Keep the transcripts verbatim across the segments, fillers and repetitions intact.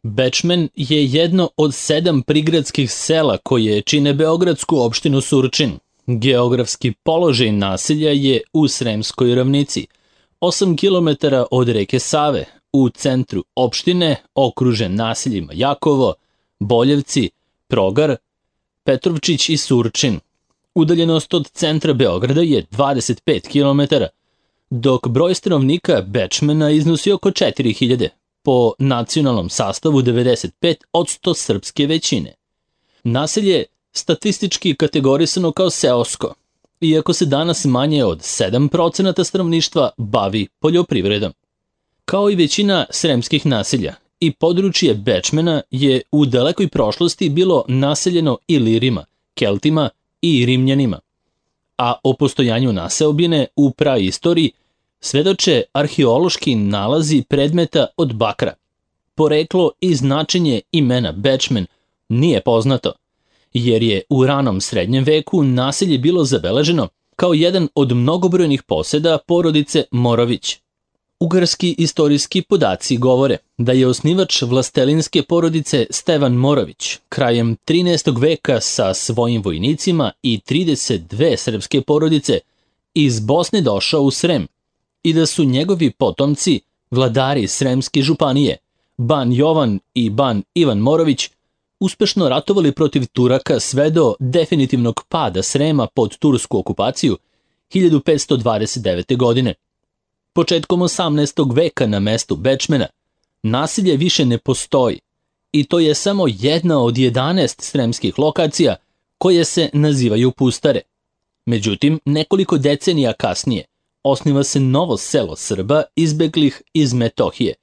Bečmen je jedno od sedam prigradskih sela koje čine beogradsku opštinu Surčin. Geografski položaj naselja je u Sremskoj ravnici, osam kilometara od reke Save, u centru opštine, okružen naseljima Jakovo, Boljevci, Progar, Petrovčić i Surčin. Udaljenost od centra Beograda je dvadeset pet kilometara, dok broj stanovnika Bečmena iznosi oko četiri hiljade, po nacionalnom sastavu devedeset pet posto srpske većine. Naselje statistički kategorisano kao seosko, iako se danas manje od sedam procenata stanovništva bavi poljoprivredom. Kao i većina sremskih naselja, i područje Bečmena je u dalekoj prošlosti bilo naseljeno Ilirima, Keltima i Rimljanima, a o postojanju naseobine u praistoriji svedoče arheološki nalazi predmeta od bakra. Poreklo i značenje imena Bečmen nije poznato, jer je u ranom srednjem veku naselje bilo zabeleženo kao jedan od mnogobrojnih poseda porodice Morović. Ugarski istorijski podaci govore da je osnivač vlastelinske porodice Stevan Morović krajem trinaestog veka sa svojim vojnicima i trideset dve srpske porodice iz Bosne došao u Srem i da su njegovi potomci, vladari Sremske županije, ban Jovan i ban Ivan Morović, uspešno ratovali protiv Turaka sve do definitivnog pada Srema pod tursku okupaciju hiljadu petsto dvadeset devete. godine. Početkom osamnaestog veka na mestu Bečmena naselje više ne postoji i to je samo jedna od jedanaest sremskih lokacija koje se nazivaju pustare. Međutim, nekoliko decenija kasnije osniva se novo selo Srba izbeglih iz Metohije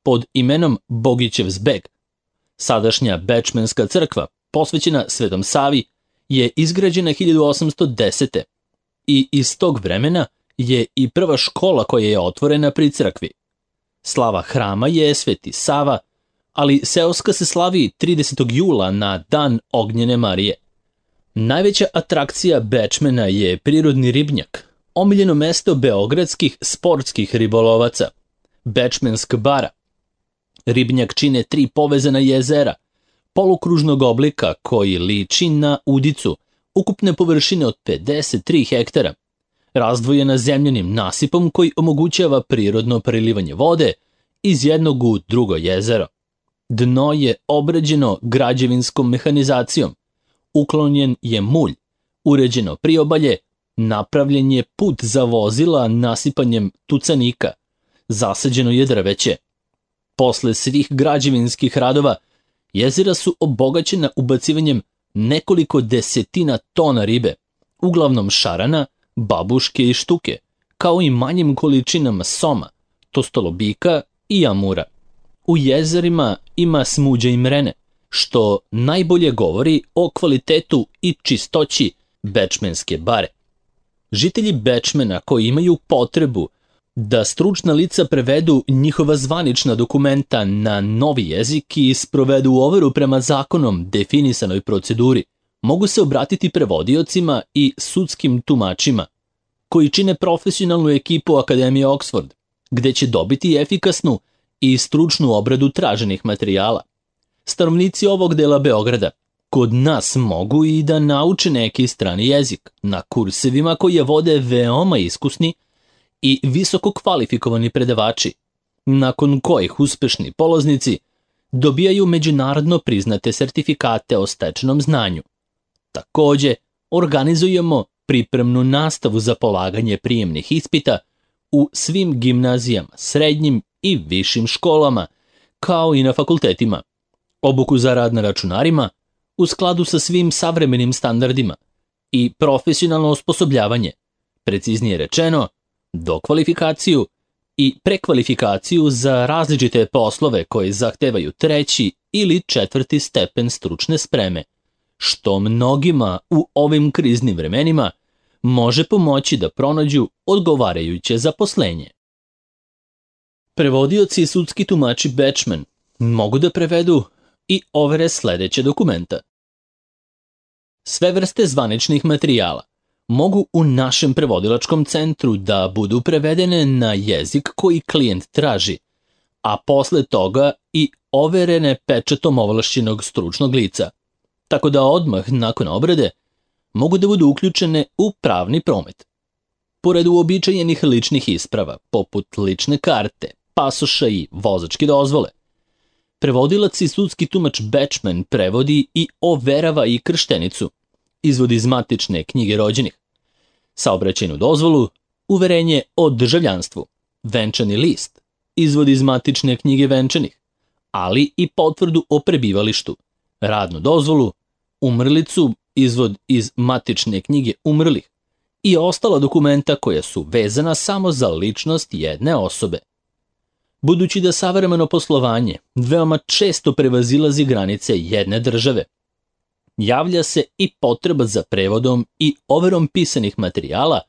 pod imenom Bogićev zbeg. Sadašnja Bečmenska crkva, posvećena Svetom Savi, je izgrađena hiljadu osamsto desete. i iz tog vremena je i prva škola koja je otvorena pri crkvi. Slava hrama je Sveti Sava, ali seoska se slavi tridesetog jula na Dan Ognjene Marije. Najveća atrakcija Bečmena je prirodni ribnjak, omiljeno mesto beogradskih sportskih ribolovaca, Bečmensk bara. Ribnjak čine tri povezana jezera, polukružnog oblika koji liči na udicu, ukupne površine od pedeset tri hektara, razdvojena zemljanim nasipom koji omogućava prirodno prelivanje vode iz jednog u drugo jezero. Dno je obrađeno građevinskom mehanizacijom, uklonjen je mulj, uređeno priobalje, napravljen je put za vozila nasipanjem tucanika, zasađeno je drveće. Posle svih građevinskih radova, jezera su obogaćena ubacivanjem nekoliko desetina tona ribe, uglavnom šarana, babuške i štuke, kao i manjim količinama soma, tostolobika i amura. U jezerima ima smuđa i mrene, što najbolje govori o kvalitetu i čistoći Bečmenske bare. Žitelji Bečmena koji imaju potrebu da stručna lica prevedu njihova zvanična dokumenta na novi jezik i sprovedu overu prema zakonom definisanoj proceduri, mogu se obratiti prevodiocima i sudskim tumačima, koji čine profesionalnu ekipu Akademije Oxford, gde će dobiti efikasnu i stručnu obradu traženih materijala. Stanovnici ovog dela Beograda kod nas mogu i da nauče neki strani jezik na kursevima koje vode veoma iskusni i visoko kvalifikovani predavači, nakon kojih uspešni polaznici dobijaju međunarodno priznate sertifikate o stečenom znanju. Takođe, organizujemo pripremnu nastavu za polaganje prijemnih ispita u svim gimnazijama, srednjim i višim školama, kao i na fakultetima, obuku za rad na računarima u skladu sa svim savremenim standardima i profesionalno osposobljavanje, preciznije rečeno, dokvalifikaciju i prekvalifikaciju za različite poslove koji zahtevaju treći ili četvrti stepen stručne spreme, što mnogima u ovim kriznim vremenima može pomoći da pronađu odgovarajuće zaposlenje. Prevodioci i sudski tumači Bečmen mogu da prevedu i overe sledeće dokumenta. Sve vrste zvaničnih materijala mogu u našem prevodilačkom centru da budu prevedene na jezik koji klijent traži, a posle toga i overene pečatom ovlašćenog stručnog lica, tako da odmah nakon obrade mogu da budu uključene u pravni promet. Pored uobičajenih ličnih isprava, poput lične karte, pasoša i vozačke dozvole, prevodilac i sudski tumač Bečmen prevodi i overava i krštenicu, izvod iz matične knjige rođenih, saobraćajnu dozvolu, uverenje o državljanstvu, venčani list, izvod iz matične knjige venčanih, ali i potvrdu o prebivalištu, radnu dozvolu, umrlicu, izvod iz matične knjige umrlih i ostala dokumenta koja su vezana samo za ličnost jedne osobe. Budući da savremeno poslovanje veoma često prevazilazi granice jedne države, javlja se i potreba za prevodom i overom pisanih materijala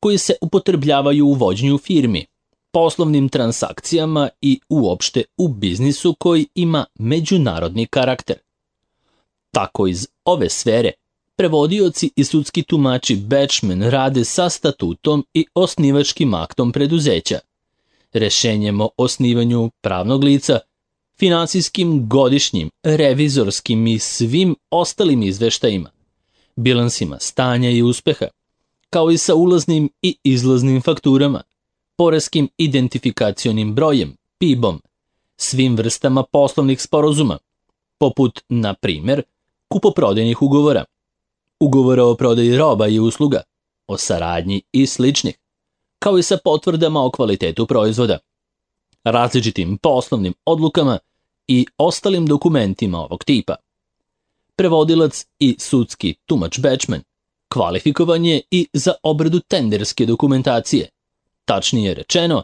koji se upotrebljavaju u vođenju firmi, poslovnim transakcijama i uopšte u biznisu koji ima međunarodni karakter. Tako iz ove sfere prevodioci i sudski tumači Bečmen rade sa statutom i osnivačkim aktom preduzeća, rešenjem o osnivanju pravnog lica, finansijskim, godišnjim, revizorskim i svim ostalim izveštajima, bilansima stanja i uspeha, kao i sa ulaznim i izlaznim fakturama, poreskim identifikacionim brojem, P I B-om, svim vrstama poslovnih sporazuma, poput, na primjer, kupoprodajnih ugovora, ugovora o prodaji roba i usluga, o saradnji i sličnih, kao i sa potvrdama o kvalitetu proizvoda, različitim poslovnim odlukama i ostalim dokumentima ovog tipa. Prevodilac i sudski tumač Bečmen kvalifikovan je i za obradu tenderske dokumentacije, tačnije rečeno,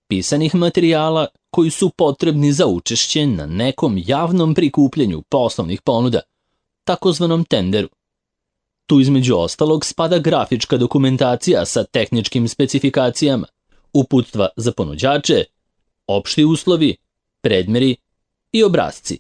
pisanih materijala koji su potrebni za učešće na nekom javnom prikupljanju poslovnih ponuda, takozvanom tenderu. Tu između ostalog spada grafička dokumentacija sa tehničkim specifikacijama, uputstva za ponuđače, opšti uslovi, predmeri i obrasci.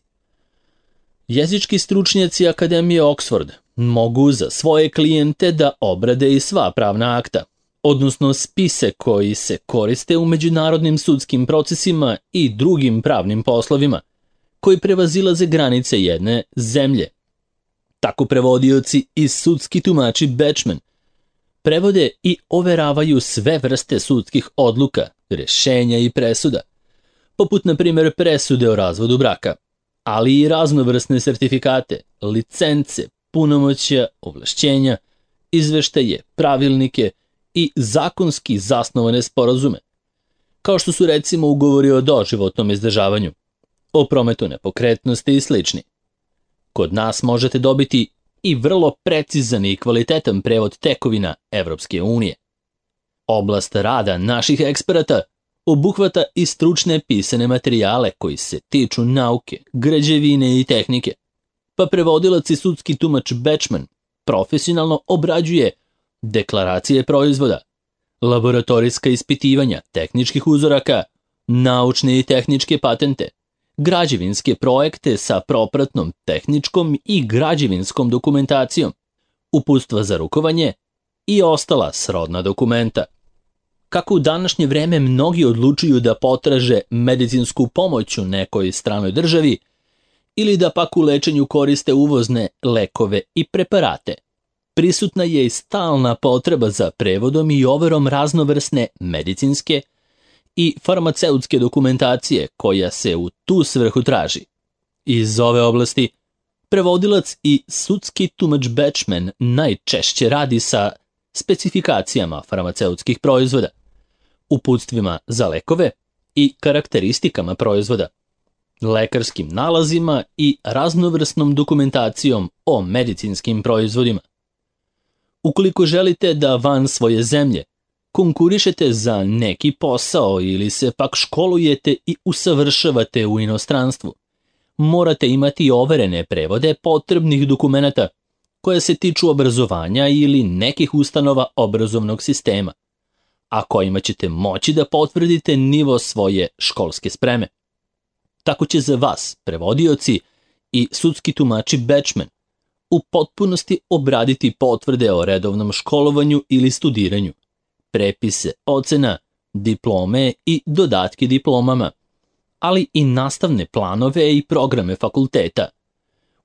Jezički stručnjaci Akademije Oxford mogu za svoje klijente da obrade i sva pravna akta, odnosno spise koji se koriste u međunarodnim sudskim procesima i drugim pravnim poslovima, koji prevazilaze granice jedne zemlje. Tako prevodioci i sudski tumači Bečmen prevode i overavaju sve vrste sudskih odluka, rešenja i presuda, poput na primjer presude o razvodu braka, ali i raznovrsne sertifikate, licence, punomoćja, ovlašćenja, izveštaje, pravilnike i zakonski zasnovane sporazume, kao što su recimo ugovori o doživotnom izdržavanju, o prometu nepokretnosti i slični. Kod nas možete dobiti i vrlo precizan i kvalitetan prevod tekovina Evropske unije. Oblast rada naših eksperata obuhvata i stručne pisane materijale koji se tiču nauke, građevine i tehnike, pa prevodilac i sudski tumač Bečmen profesionalno obrađuje deklaracije proizvoda, laboratorijska ispitivanja tehničkih uzoraka, naučne i tehničke patente, građevinske projekte sa propratnom tehničkom i građevinskom dokumentacijom, uputstva za rukovanje i ostala srodna dokumenta. Kako u današnje vreme mnogi odlučuju da potraže medicinsku pomoć u nekoj stranoj državi ili da pak u lečenju koriste uvozne lekove i preparate, prisutna je i stalna potreba za prevodom i overom raznovrsne medicinske i farmaceutske dokumentacije koja se u tu svrhu traži. Iz ove oblasti prevodilac i sudski tumač Bečmen najčešće radi sa specifikacijama farmaceutskih proizvoda, uputstvima za lekove i karakteristikama proizvoda, lekarskim nalazima i raznovrsnom dokumentacijom o medicinskim proizvodima. Ukoliko želite da van svoje zemlje konkurišete za neki posao ili se pak školujete i usavršavate u inostranstvu, morate imati overene prevode potrebnih dokumenata koje se tiču obrazovanja ili nekih ustanova obrazovnog sistema, a kojima ćete moći da potvrdite nivo svoje školske spreme. Tako će za vas, prevodioci i sudski tumači Bečmen, u potpunosti obraditi potvrde o redovnom školovanju ili studiranju, prepise ocena, diplome i dodatke diplomama, ali i nastavne planove i programe fakulteta,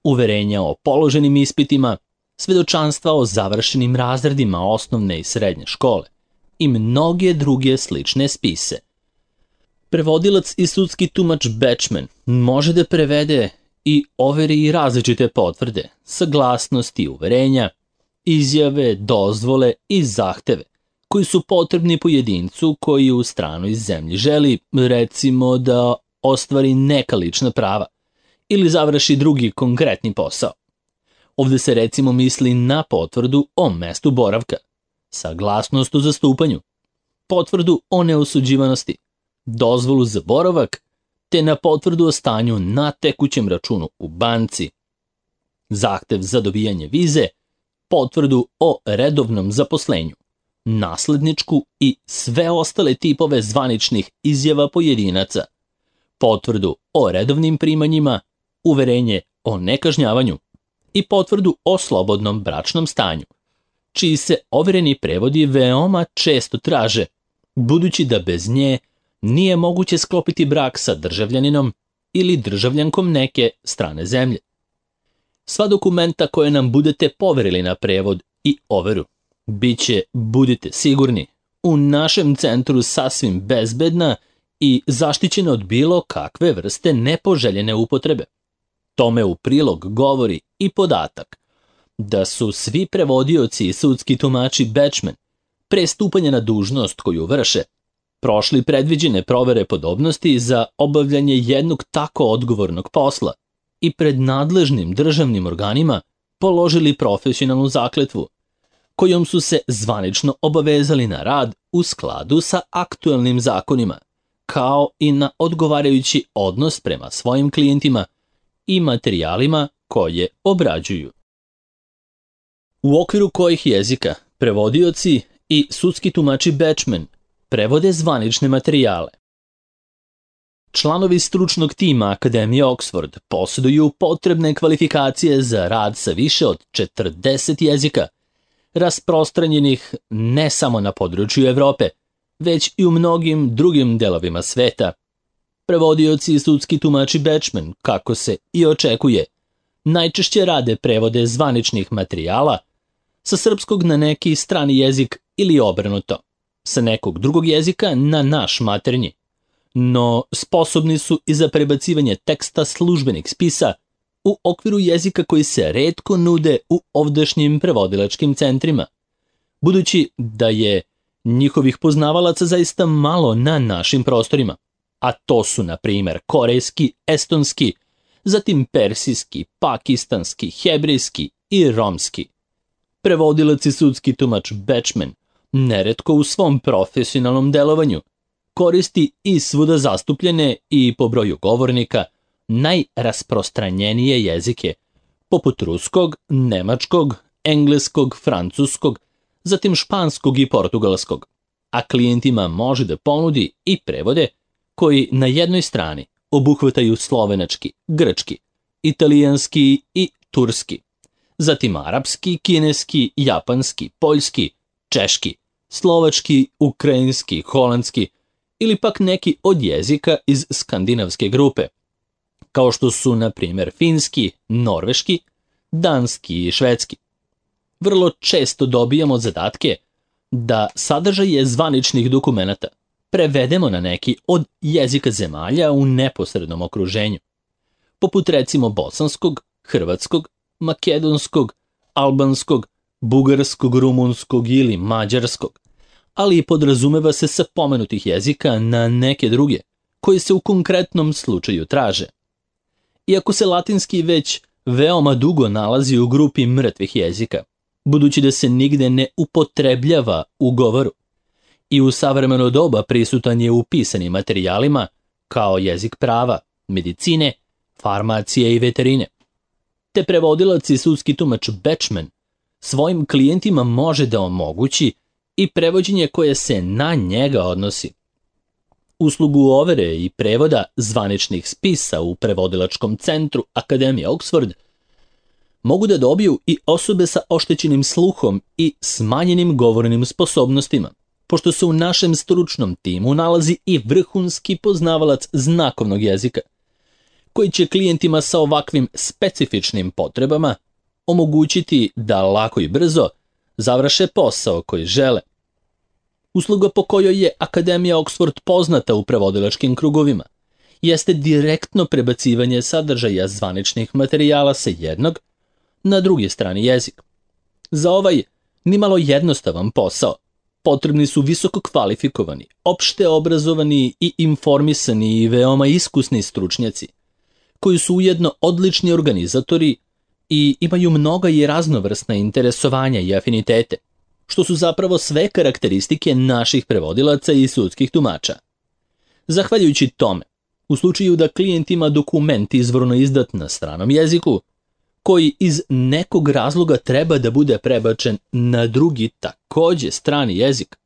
uverenja o položenim ispitima, svedočanstva o završenim razredima osnovne i srednje škole i mnoge druge slične spise. Prevodilac i sudski tumač Bečmen može da prevede i overi i različite potvrde, saglasnosti, uverenja, izjave, dozvole i zahteve koji su potrebni pojedincu koji u stranoj zemlji želi, recimo, da ostvari neka lična prava ili završi drugi konkretni posao. Ovde se recimo misli na potvrdu o mestu boravka, saglasnost o zastupanju, potvrdu o neosuđivanosti, dozvolu za boravak, te na potvrdu o stanju na tekućem računu u banci, zahtev za dobijanje vize, potvrdu o redovnom zaposlenju, nasledničku i sve ostale tipove zvaničnih izjava pojedinaca, potvrdu o redovnim primanjima, uverenje o nekažnjavanju i potvrdu o slobodnom bračnom stanju, čiji se overeni prevodi veoma često traže, budući da bez nje nije moguće sklopiti brak sa državljaninom ili državljankom neke strane zemlje. Sva dokumenta koje nam budete poverili na prevod i overu biće, budite sigurni, u našem centru sasvim bezbedna i zaštićena od bilo kakve vrste nepoželjene upotrebe. Tome u prilog govori i podatak da su svi prevodioci i sudski tumači Bečmen pre stupanja na dužnost koju vrše prošli predviđene provere podobnosti za obavljanje jednog tako odgovornog posla i pred nadležnim državnim organima položili profesionalnu zakletvu, kojom su se zvanično obavezali na rad u skladu sa aktuelnim zakonima, kao i na odgovarajući odnos prema svojim klijentima i materijalima koje obrađuju. U okviru kojih jezika prevodioci i sudski tumači Bečmen prevode zvanične materijale. Članovi stručnog tima Akademije Oxford posjeduju potrebne kvalifikacije za rad sa više od četrdeset jezika, rasprostranjenih ne samo na području Evrope, već i u mnogim drugim delovima sveta. Prevodioci i sudski tumači Bečmen, kako se i očekuje, najčešće rade prevode zvaničnih materijala sa srpskog na neki strani jezik ili obrnuto, sa nekog drugog jezika na naš maternji, no sposobni su i za prebacivanje teksta službenih spisa u okviru jezika koji se retko nude u ovdašnjim prevodilačkim centrima, budući da je njihovih poznavalaca zaista malo na našim prostorima, a to su, na primjer, korejski, estonski, zatim persijski, pakistanski, hebrejski i romski. Prevodilac i sudski tumač Bečmen neretko u svom profesionalnom delovanju koristi i svuda zastupljene i po broju govornika najrasprostranjenije jezike, poput ruskog, nemačkog, engleskog, francuskog, zatim španskog i portugalskog, a klijentima može da ponudi i prevode koji na jednoj strani obuhvataju slovenački, grčki, italijanski i turski, zatim arapski, kineski, japanski, poljski, češki, slovački, ukrajinski, holandski ili pak neki od jezika iz skandinavske grupe, kao što su, na primjer, finski, norveški, danski i švedski. Vrlo često dobijamo zadatke da sadržaje zvaničnih dokumenata prevedemo na neki od jezika zemalja u neposrednom okruženju, poput recimo bosanskog, hrvatskog, makedonskog, albanskog, bugarskog, rumunskog ili mađarskog, ali i podrazumeva se sa pomenutih jezika na neke druge, koji se u konkretnom slučaju traže. Iako se latinski već veoma dugo nalazi u grupi mrtvih jezika, budući da se nigde ne upotrebljava u govoru, i u savremeno doba prisutan je u pisanim materijalima kao jezik prava, medicine, farmacije i veterine. Te prevodilac i sudski tumač Bečmen svojim klijentima može da omogući i prevođenje koje se na njega odnosi. Uslugu overe i prevoda zvaničnih spisa u prevodilačkom centru Akademije Oxford mogu da dobiju i osobe sa oštećenim sluhom i smanjenim govornim sposobnostima, pošto se u našem stručnom timu nalazi i vrhunski poznavalac znakovnog jezika, koji će klijentima sa ovakvim specifičnim potrebama omogućiti da lako i brzo završe posao koji žele. Usluga po kojoj je Akademija Oxford poznata u prevodilačkim krugovima jeste direktno prebacivanje sadržaja zvaničnih materijala sa jednog na drugi strani jezika. Za ovaj nimalo jednostavan posao potrebni su visoko kvalifikovani, opšte obrazovani i informisani i veoma iskusni stručnjaci, koji su ujedno odlični organizatori i imaju mnoga i raznovrsna interesovanja i afinitete, što su zapravo sve karakteristike naših prevodilaca i sudskih tumača. Zahvaljujući tome, u slučaju da klijent ima dokument izvorno izdat na stranom jeziku, koji iz nekog razloga treba da bude prebačen na drugi takođe strani jezik,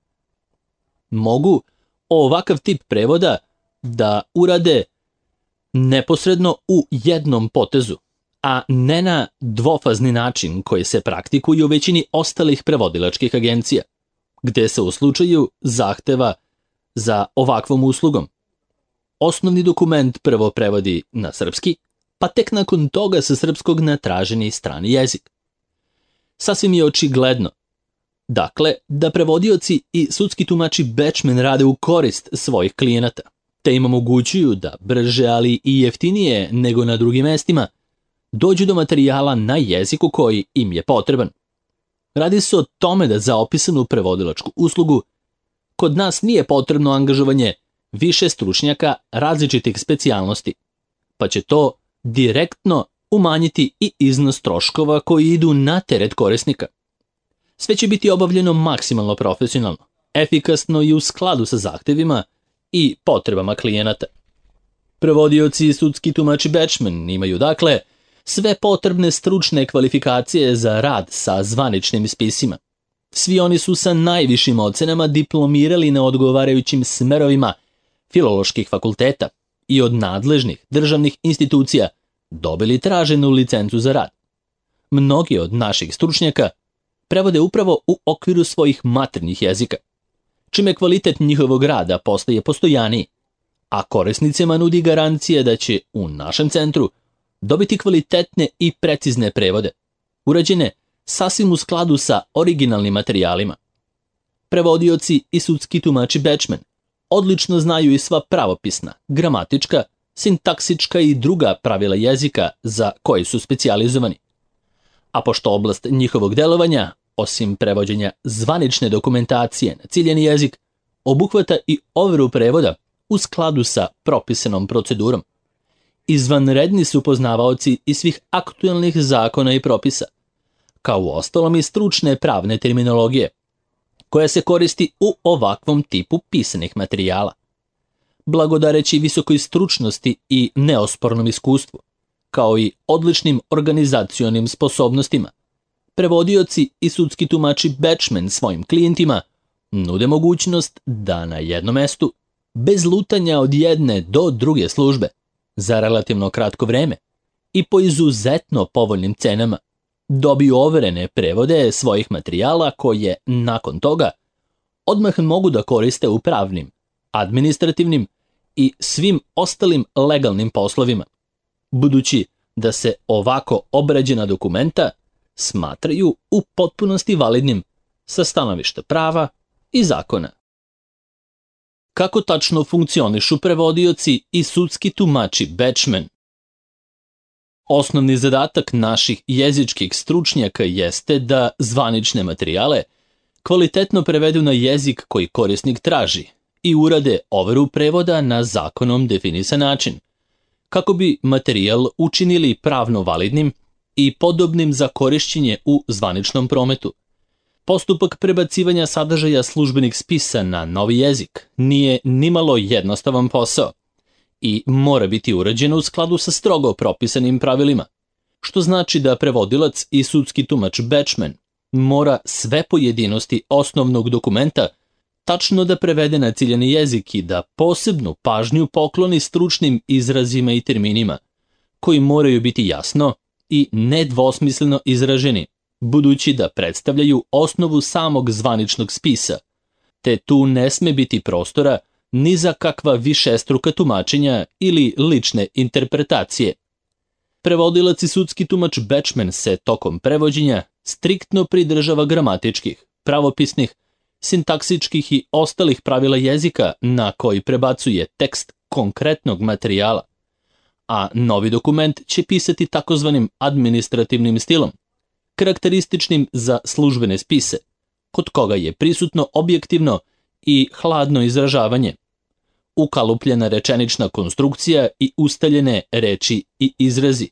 mogu ovakav tip prevoda da urade neposredno u jednom potezu, a ne na dvofazni način koji se praktikuje u većini ostalih prevodilačkih agencija, gde se u slučaju zahteva za ovakvom uslugom osnovni dokument prvo prevodi na srpski, pa tek nakon toga sa srpskog na traženi strani jezik. Sasvim je očigledno, dakle, da prevodioci i sudski tumači Bečmen rade u korist svojih klijenata, te im omogućuju da brže, ali i jeftinije nego na drugim mestima, dođu do materijala na jeziku koji im je potreban. Radi se o tome da za opisanu prevodilačku uslugu kod nas nije potrebno angažovanje više stručnjaka različitih specijalnosti, pa će to direktno umanjiti i iznos troškova koji idu na teret korisnika. Sve će biti obavljeno maksimalno profesionalno, efikasno i u skladu sa zahtevima i potrebama klijenata. Prevodioci i sudski tumači Bečmen imaju dakle sve potrebne stručne kvalifikacije za rad sa zvaničnim spisima. Svi oni su sa najvišim ocenama diplomirali na odgovarajućim smerovima filoloških fakulteta i od nadležnih državnih institucija dobili traženu licencu za rad. Mnogi od naših stručnjaka prevode upravo u okviru svojih maternjih jezika, čime kvalitet njihovog rada postaje postojaniji, a korisnicima nudi garancije da će u našem centru dobiti kvalitetne i precizne prevode, urađene sasvim u skladu sa originalnim materijalima. Prevodioci i sudski tumači Bečmen odlično znaju i sva pravopisna, gramatička, sintaksička i druga pravila jezika za koje su specijalizovani. A pošto oblast njihovog delovanja, osim prevođenja zvanične dokumentacije na ciljeni jezik, obuhvata i overu prevoda u skladu sa propisanom procedurom, izvanredni su poznavaoci i svih aktuelnih zakona i propisa, kao u ostalom i stručne pravne terminologije, koja se koristi u ovakvom tipu pisanih materijala. Blagodareći visokoj stručnosti i neospornom iskustvu, kao i odličnim organizacionim sposobnostima, prevodioci i sudski tumači Bečmen svojim klijentima nude mogućnost da na jednom mestu, bez lutanja od jedne do druge službe, za relativno kratko vreme i po izuzetno povoljnim cenama, dobiju overene prevode svojih materijala koje, nakon toga, odmah mogu da koriste u pravnim, administrativnim i svim ostalim legalnim poslovima, budući da se ovako obrađena dokumenta smatraju u potpunosti validnim sa stanovišta prava i zakona. Kako tačno funkcionišu prevodioci i sudski tumači Bečmen? Osnovni zadatak naših jezičkih stručnjaka jeste da zvanične materijale kvalitetno prevedu na jezik koji korisnik traži i urade overu prevoda na zakonom definisan način, kako bi materijal učinili pravno validnim i podobnim za korišćenje u zvaničnom prometu. Postupak prebacivanja sadržaja službenih spisa na novi jezik nije nimalo jednostavan posao i mora biti urađen u skladu sa strogo propisanim pravilima, što znači da prevodilac i sudski tumač Bečmen mora sve pojedinosti osnovnog dokumenta tačno da prevede na ciljani jezik i da posebnu pažnju pokloni stručnim izrazima i terminima, koji moraju biti jasno i nedvosmisleno izraženi, budući da predstavljaju osnovu samog zvaničnog spisa, te tu ne sme biti prostora ni za kakva višestruka tumačenja ili lične interpretacije. Prevodilac i sudski tumač Bachman se tokom prevođenja striktno pridržava gramatičkih, pravopisnih, sintaksičkih i ostalih pravila jezika na koji prebacuje tekst konkretnog materijala, a novi dokument će pisati takozvanim administrativnim stilom, karakterističnim za službene spise, kod koga je prisutno objektivno i hladno izražavanje, ukalupljena rečenična konstrukcija i ustaljene reči i izrazi,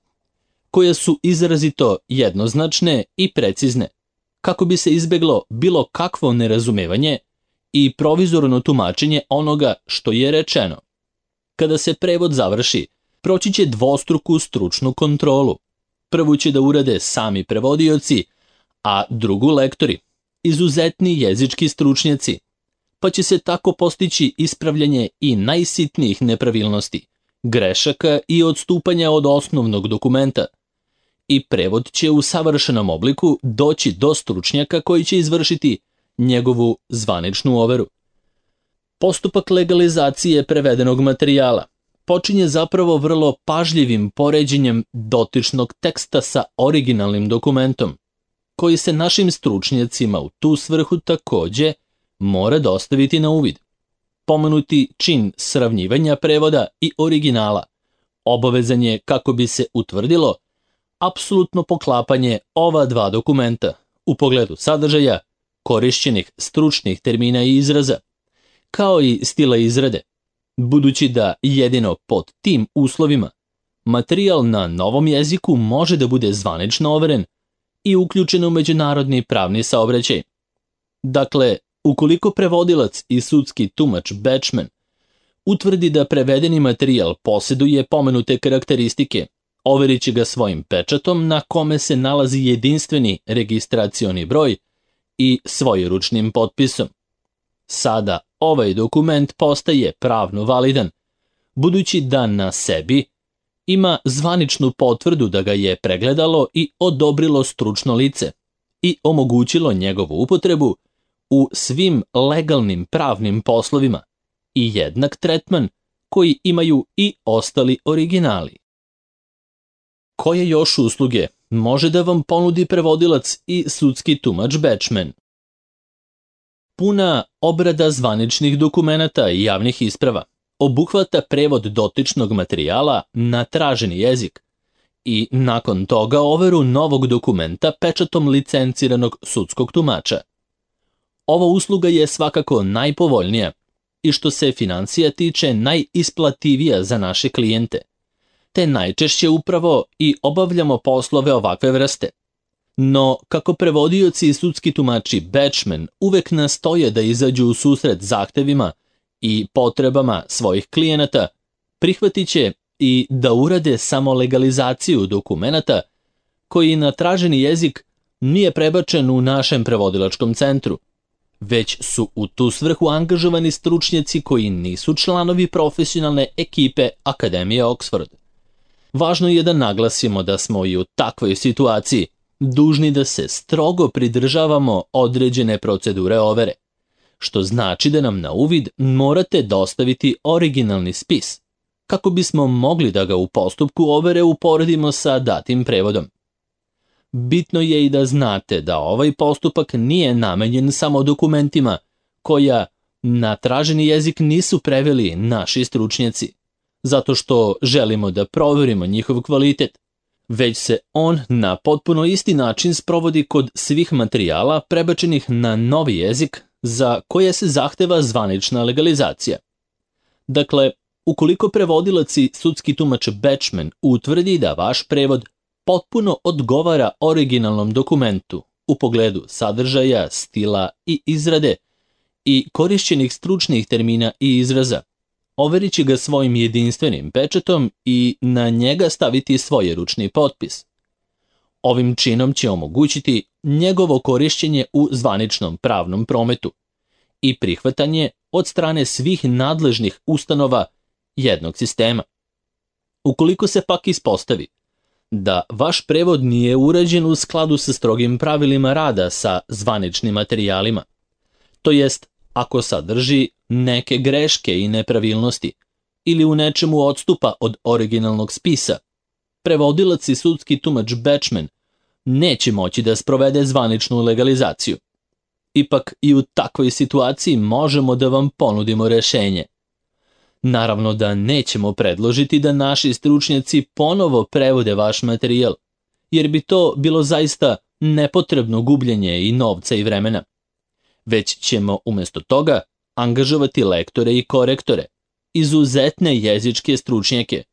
koje su izrazito jednoznačne i precizne, kako bi se izbeglo bilo kakvo nerazumevanje i provizorno tumačenje onoga što je rečeno. Kada se prevod završi, proći će dvostruku stručnu kontrolu. Prvu će da urade sami prevodioci, a drugu lektori, izuzetni jezički stručnjaci, pa će se tako postići ispravljanje i najsitnijih nepravilnosti, grešaka i odstupanja od osnovnog dokumenta. I prevod će u savršenom obliku doći do stručnjaka koji će izvršiti njegovu zvaničnu overu. Postupak legalizacije prevedenog materijala počinje zapravo vrlo pažljivim poređenjem dotičnog teksta sa originalnim dokumentom, koji se našim stručnjacima u tu svrhu takođe mora dostaviti na uvid. Pomenuti čin sravnjivanja prevoda i originala obavezan je kako bi se utvrdilo apsolutno poklapanje ova dva dokumenta u pogledu sadržaja, korišćenih stručnih termina i izraza, kao i stila izrade, budući da jedino pod tim uslovima materijal na novom jeziku može da bude zvanično overen i uključen u međunarodni pravni saobraćaj. Dakle, ukoliko prevodilac i sudski tumač Bachman utvrdi da prevedeni materijal posjeduje pomenute karakteristike, overit će ga svojim pečatom na kome se nalazi jedinstveni registracioni broj i svojeručnim potpisom. Sada ovaj dokument postaje pravno validan, budući da na sebi ima zvaničnu potvrdu da ga je pregledalo i odobrilo stručno lice i omogućilo njegovu upotrebu u svim legalnim pravnim poslovima i jednak tretman koji imaju i ostali originali. Koje još usluge može da vam ponudi prevodilac i sudski tumač Bachman? Puna obrada zvaničnih dokumenata i javnih isprava obuhvata prevod dotičnog materijala na traženi jezik i nakon toga overu novog dokumenta pečatom licenciranog sudskog tumača. Ova usluga je svakako najpovoljnija i što se financija tiče najisplativija za naše klijente, te najčešće upravo i obavljamo poslove ovakve vrste. No, kako prevodioci i sudski tumači Bachman uvek nastoje da izađu u susret zahtevima i potrebama svojih klijenata, prihvatit će i da urade samo legalizaciju dokumenata koji na traženi jezik nije prebačen u našem prevodilačkom centru, već su u tu svrhu angažovani stručnjaci koji nisu članovi profesionalne ekipe Akademije Oxford. Važno je da naglasimo da smo i u takvoj situaciji dužni da se strogo pridržavamo određene procedure overe, što znači da nam na uvid morate dostaviti originalni spis, kako bismo mogli da ga u postupku overe uporedimo sa datim prevodom. Bitno je i da znate da ovaj postupak nije namenjen samo dokumentima koja na traženi jezik nisu preveli naši stručnjaci, zato što želimo da proverimo njihov kvalitet, već se on na potpuno isti način sprovodi kod svih materijala prebačenih na novi jezik za koje se zahteva zvanična legalizacija. Dakle, ukoliko prevodilac i sudski tumač Bachman utvrdi da vaš prevod potpuno odgovara originalnom dokumentu u pogledu sadržaja, stila i izrade i korišćenih stručnih termina i izraza, overit će ga svojim jedinstvenim pečatom i na njega staviti svojeručni potpis. Ovim činom će omogućiti njegovo korišćenje u zvaničnom pravnom prometu i prihvatanje od strane svih nadležnih ustanova jednog sistema. Ukoliko se pak ispostavi da vaš prevod nije urađen u skladu sa strogim pravilima rada sa zvaničnim materijalima, to jest ako sadrži neke greške i nepravilnosti ili u nečemu odstupa od originalnog spisa, prevodilac i sudski tumač Bečmen neće moći da sprovede zvaničnu legalizaciju. Ipak i u takvoj situaciji možemo da vam ponudimo rešenje. Naravno da nećemo predložiti da naši stručnjaci ponovo prevode vaš materijal, jer bi to bilo zaista nepotrebno gubljenje i novca i vremena. Već ćemo umjesto toga angažovati lektore i korektore, izuzetne jezičke stručnjake,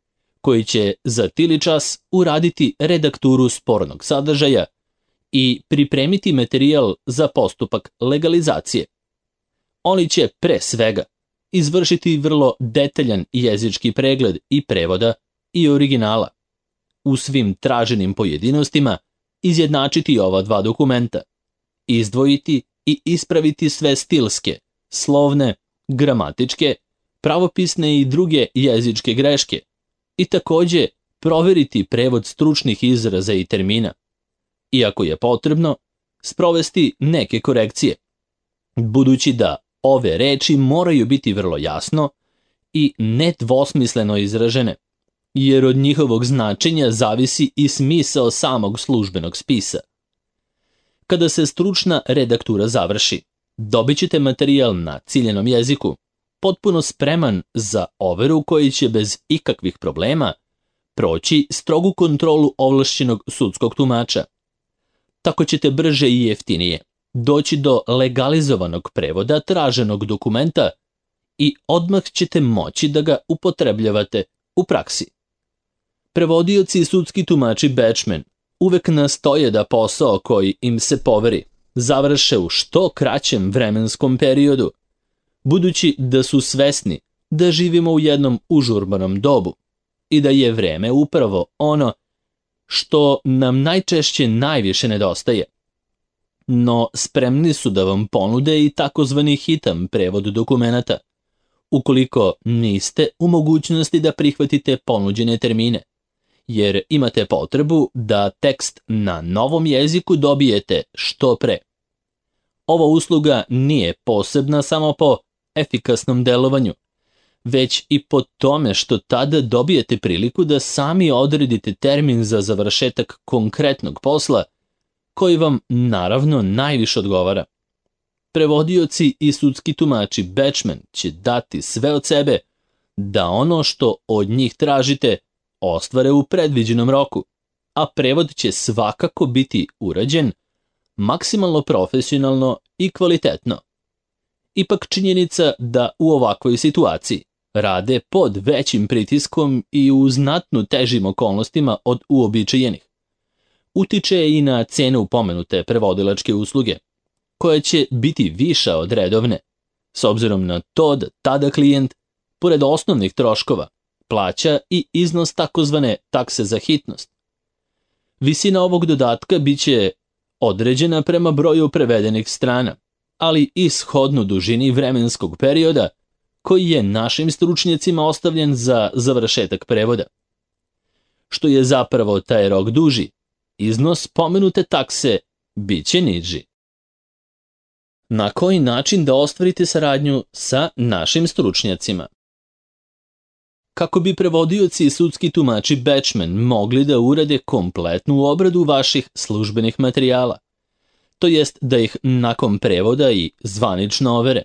koji će za tili čas uraditi redakturu spornog sadržaja i pripremiti materijal za postupak legalizacije. Oni će pre svega izvršiti vrlo detaljan jezički pregled i prevoda i originala. U svim traženim pojedinostima izjednačiti ova dva dokumenta, izdvojiti i ispraviti sve stilske, slovne, gramatičke, pravopisne i druge jezičke greške i takođe proveriti prevod stručnih izraza i termina. Iako je potrebno, sprovesti neke korekcije, budući da ove reči moraju biti vrlo jasno i nedvosmisleno izražene, jer od njihovog značenja zavisi i smisao samog službenog spisa. Kada se stručna redaktura završi, dobit ćete materijal na ciljenom jeziku, potpuno spreman za overu koji će bez ikakvih problema proći strogu kontrolu ovlašćenog sudskog tumača. Tako ćete brže i jeftinije doći do legalizovanog prevoda traženog dokumenta i odmah ćete moći da ga upotrebljavate u praksi. Prevodioci i sudski tumači Bečmen uvek nastoje da posao koji im se poveri završe u što kraćem vremenskom periodu, budući da su svesni da živimo u jednom užurbanom dobu i da je vreme upravo ono što nam najčešće najviše nedostaje. No spremni su da vam ponude i takozvani hitan prevod dokumenata, ukoliko niste u mogućnosti da prihvatite ponuđene termine, jer imate potrebu da tekst na novom jeziku dobijete što pre. Ova usluga nije posebna samo po efikasnom delovanju, već i po tome što tada dobijete priliku da sami odredite termin za završetak konkretnog posla, koji vam naravno najviše odgovara. Prevodioci i sudski tumači Bečmen će dati sve od sebe da ono što od njih tražite ostvare u predviđenom roku, a prevod će svakako biti urađen maksimalno profesionalno i kvalitetno. Ipak činjenica da u ovakvoj situaciji rade pod većim pritiskom i u znatno težim okolnostima od uobičajenih utiče i na cenu pomenute prevodilačke usluge, koja će biti viša od redovne, s obzirom na to da tada klijent, pored osnovnih troškova, plaća i iznos takozvane takse za hitnost. Visina ovog dodatka biće određena prema broju prevedenih strana, ali i shodno dužini vremenskog perioda koji je našim stručnjacima ostavljen za završetak prevoda. Što je zapravo taj rok duži, iznos pomenute takse biće niži. Na koji način da ostvarite saradnju sa našim stručnjacima? Kako bi prevodioci i sudski tumači Bečmen mogli da urade kompletnu obradu vaših službenih materijala, to jest da ih nakon prevoda i zvanično overe,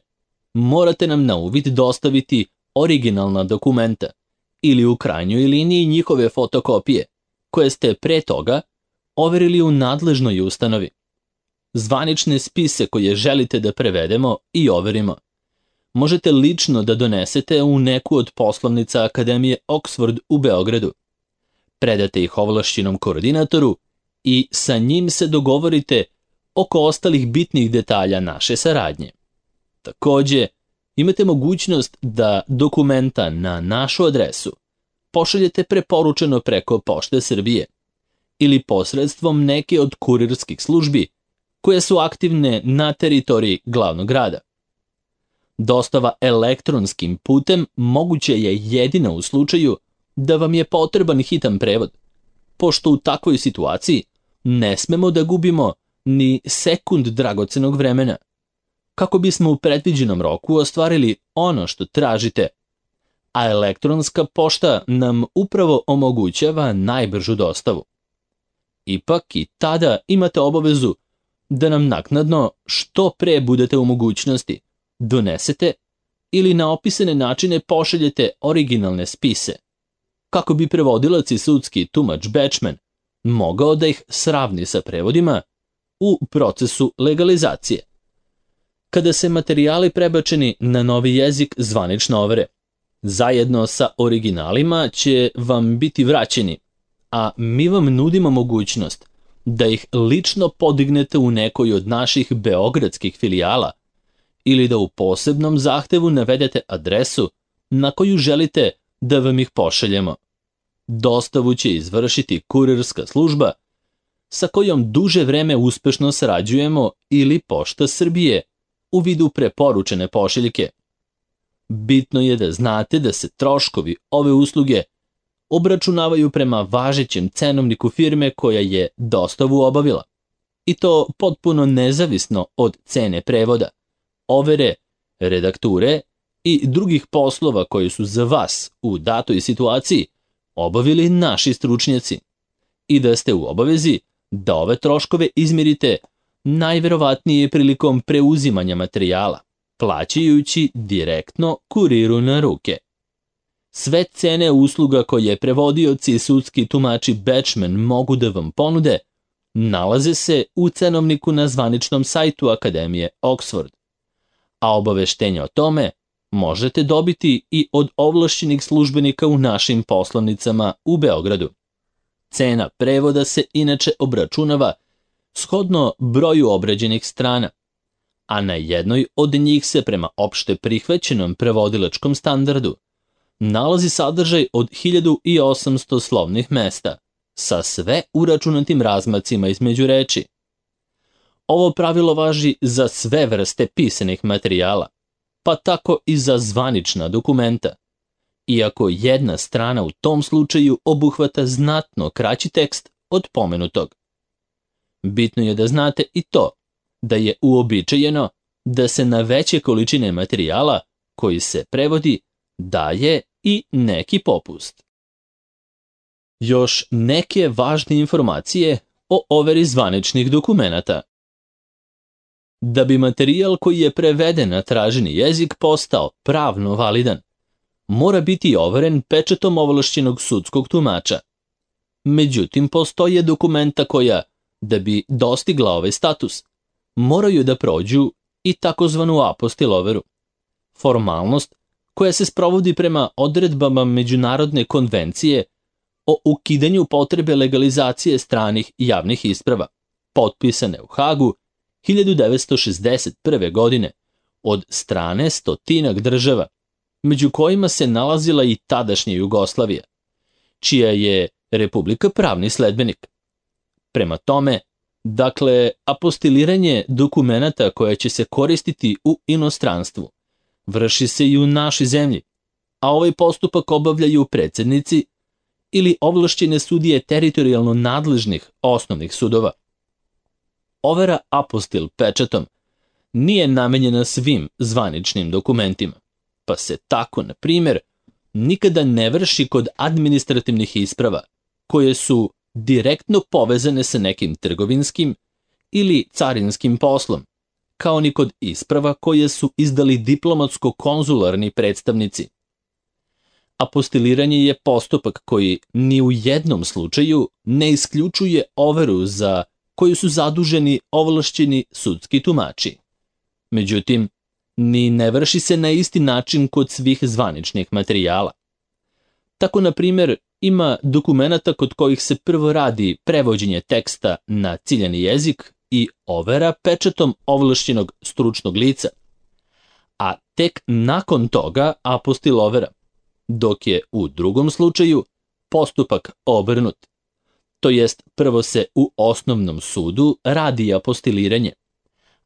morate nam na uvid dostaviti originalna dokumenta ili u krajnjoj liniji njihove fotokopije, koje ste pre toga overili u nadležnoj ustanovi. Zvanične spise koje želite da prevedemo i overimo možete lično da donesete u neku od poslovnica Akademije Oxford u Beogradu. Predate ih ovlašćenom koordinatoru i sa njim se dogovorite oko ostalih bitnih detalja naše saradnje. Takođe, imate mogućnost da dokumenta na našu adresu pošaljete preporučeno preko Pošte Srbije ili posredstvom neke od kurirskih službi koje su aktivne na teritoriji glavnog grada. Dostava elektronskim putem moguće je jedina u slučaju da vam je potreban hitan prevod, pošto u takvoj situaciji ne smemo da gubimo ni sekund dragocenog vremena. kako bismo u predviđenom roku ostvarili ono što tražite, a elektronska pošta nam upravo omogućava najbržu dostavu. Ipak i tada imate obavezu da nam naknadno, što pre budete u mogućnosti, donesete ili na opisane načine pošaljete originalne spise, kako bi prevodilac i sudski tumač Bečmen mogao da ih sravni sa prevodima u procesu legalizacije. Kada se materijali prebačeni na novi jezik zvanično overe, zajedno sa originalima će vam biti vraćeni, a mi vam nudimo mogućnost da ih lično podignete u nekoj od naših beogradskih filijala ili da u posebnom zahtevu navedete adresu na koju želite da vam ih pošaljemo. Dostavu će izvršiti kurirska služba sa kojom duže vreme uspešno sarađujemo ili Pošta Srbije u vidu preporučene pošiljke. Bitno je da znate da se troškovi ove usluge obračunavaju prema važećem cenovniku firme koja je dostavu obavila, i to potpuno nezavisno od cene prevoda, overe, redakture i drugih poslova koji su za vas u datoj situaciji obavili naši stručnjaci, i da ste u obavezi da ove troškove izmirite najverovatnije prilikom preuzimanja materijala, plaćajući direktno kuriru na ruke. Sve cene usluga koje prevodioci i sudski tumači Bečmen mogu da vam ponude nalaze se u cenovniku na zvaničnom sajtu Akademije Oxford, a obaveštenje o tome možete dobiti i od ovlašćenih službenika u našim poslovnicama u Beogradu. Cena prevoda se inače obračunava shodno broju obrađenih strana, a na jednoj od njih se prema opšte prihvaćenom prevodilačkom standardu nalazi sadržaj od hiljadu osamsto slovnih mesta, sa sve uračunatim razmacima između reči. Ovo pravilo važi za sve vrste pisanih materijala, pa tako i za zvanična dokumenta, iako jedna strana u tom slučaju obuhvata znatno kraći tekst od pomenutog. Bitno je da znate i to da je uobičajeno da se na veće količine materijala koji se prevodi daje i neki popust. Još neke važne informacije o overi zvaničnih dokumenata. Da bi materijal koji je preveden na traženi jezik postao pravno validan, mora biti overen pečatom ovlašćenog sudskog tumača. Međutim, postoje dokumenta koja, da bi dostigla ovaj status, moraju da prođu i takozvanu apostil overu, formalnost koja se sprovodi prema odredbama Međunarodne konvencije o ukidanju potrebe legalizacije stranih javnih isprava, potpisane u Hagu hiljadu devetsto šezdeset prve. godine od strane stotinak država, među kojima se nalazila i tadašnja Jugoslavija, čija je Republika pravni sledbenik. Prema tome, dakle, apostiliranje dokumenata koja će se koristiti u inostranstvu vrši se i u našoj zemlji, a ovaj postupak obavljaju predsednici ili ovlašćene sudije teritorijalno nadležnih osnovnih sudova. Overa apostil pečatom nije namenjena svim zvaničnim dokumentima, pa se tako, na primjer, nikada ne vrši kod administrativnih isprava koje su direktno povezane sa nekim trgovinskim ili carinskim poslom, kao ni kod isprava koje su izdali diplomatsko-konzularni predstavnici. Apostiliranje je postupak koji ni u jednom slučaju ne isključuje overu za koju su zaduženi ovlašćeni sudski tumači. Međutim, ni ne vrši se na isti način kod svih zvaničnih materijala. Tako, na primjer, ima dokumenata kod kojih se prvo radi prevođenje teksta na ciljani jezik i overa pečatom ovlašćenog stručnog lica, a tek nakon toga apostil overa, dok je u drugom slučaju postupak obrnut. To jest, prvo se u osnovnom sudu radi apostiliranje,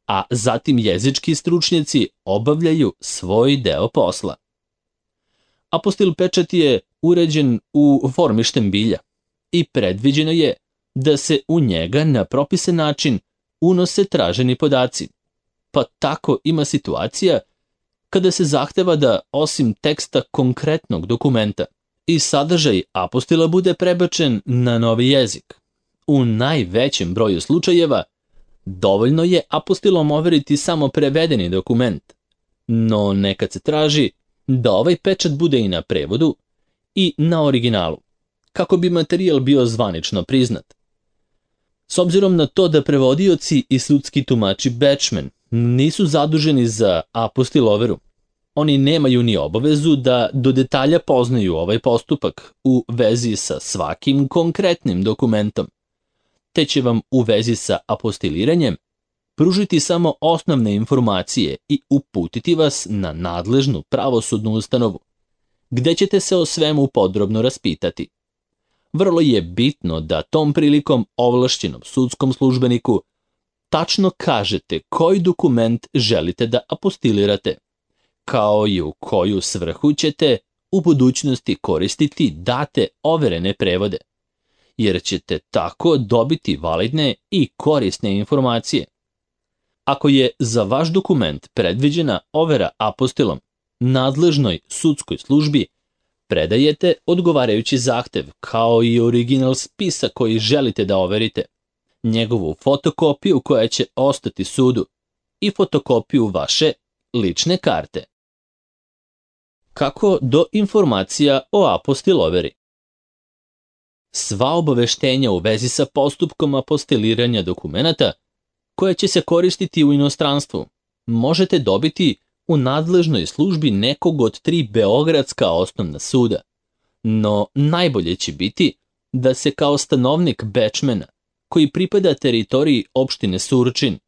a zatim jezički stručnjaci obavljaju svoj deo posla. Apostil pečat je uređen u formi štambilja i predviđeno je da se u njega na propisan način unose traženi podaci, Pa tako ima situacija kada se zahteva da osim teksta konkretnog dokumenta i sadržaj apostila bude prebačen na novi jezik. U najvećem broju slučajeva dovoljno je apostilom overiti samo prevedeni dokument, no nekad se traži da ovaj pečat bude i na prevodu i na originalu, kako bi materijal bio zvanično priznat. S obzirom na to da prevodioci i sudski tumači Batchman nisu zaduženi za apostil overu, oni nemaju ni obavezu da do detalja poznaju ovaj postupak u vezi sa svakim konkretnim dokumentom, te će vam u vezi sa apostiliranjem pružiti samo osnovne informacije i uputiti vas na nadležnu pravosudnu ustanovu, gde ćete se o svemu podrobno raspitati. Vrlo je bitno da tom prilikom ovlašćenom sudskom službeniku tačno kažete koji dokument želite da apostilirate, kao i u koju svrhu ćete u budućnosti koristiti date overene prevode, jer ćete tako dobiti validne i korisne informacije. Ako je za vaš dokument predviđena overa apostilom nadležnoj sudskoj službi, predajete odgovarajući zahtev, kao i original spisa koji želite da overite, njegovu fotokopiju koja će ostati sudu i fotokopiju vaše lične karte. Kako do informacija o apostil overi? Sva obaveštenja u vezi sa postupkom apostiliranja dokumenata koje će se koristiti u inostranstvu možete dobiti u nadležnoj službi nekog od tri beogradska osnovna suda, no najbolje će biti da se kao stanovnik Batchmana, koji pripada teritoriji opštine Surčin,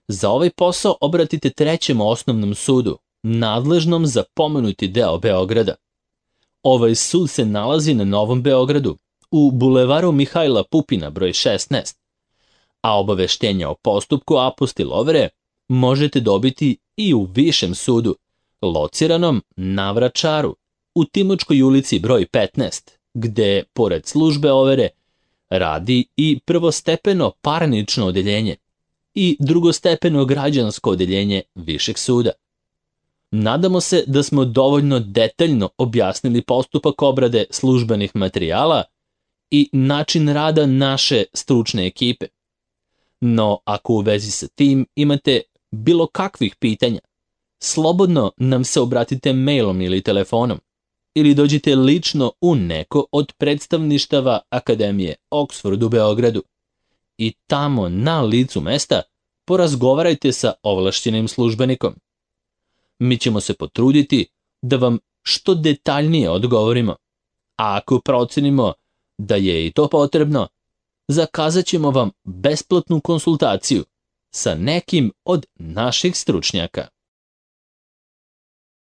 za ovaj posao obratite trećem osnovnom sudu, nadležnom za pomenuti deo Beograda. Ovaj sud se nalazi na Novom Beogradu, u bulevaru Mihajla Pupina broj šesnaest, a obaveštenja o postupku apostil overe možete dobiti i u višem sudu, lociranom na Vračaru, u Timočkoj ulici broj petnaest, gde, pored službe overe, radi i prvostepeno parnično odeljenje i drugostepeno građansko odeljenje višeg suda. Nadamo se da smo dovoljno detaljno objasnili postupak obrade službenih materijala i način rada naše stručne ekipe. No, ako u vezi sa tim imate bilo kakvih pitanja, slobodno nam se obratite mailom ili telefonom, ili dođite lično u neko od predstavništava Akademije Oxford u Beogradu i tamo na licu mesta porazgovarajte sa ovlašćenim službenikom. Mi ćemo se potruditi da vam što detaljnije odgovorimo, a ako procenimo da je i to potrebno, zakazat ćemo vam besplatnu konsultaciju sa nekim od naših stručnjaka.